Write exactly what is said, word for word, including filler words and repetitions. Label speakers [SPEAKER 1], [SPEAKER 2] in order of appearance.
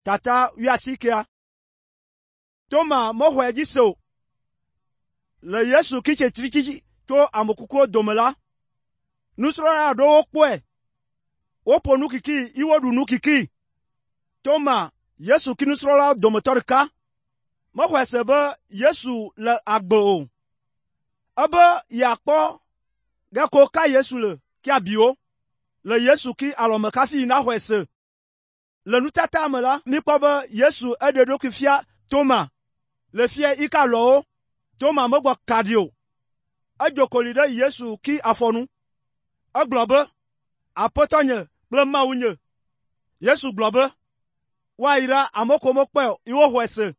[SPEAKER 1] tata wiasikia. Toma mohwe jiso. Le Yesu ki chetrichi to amokuko domela. Nusra do okwe. Opo nukiki iwodu nukiki. Toma Yesu ki nusra domotorka. Mohwe sebe Yesu le agbo. Ebe yakpo gako ka Yesu le ki abio. Le Yesu ki alome kafi na hwese. Le nutata amela mi kobe Yesu ededo ki fia Toma. Le fie ika lo. Toma mogwa kadio. Ajokolide Yesu ki afonu. Aglobe. Apotonye. Blema unye. Yesu globe. Wa ira amoko mokpe iwo hwese.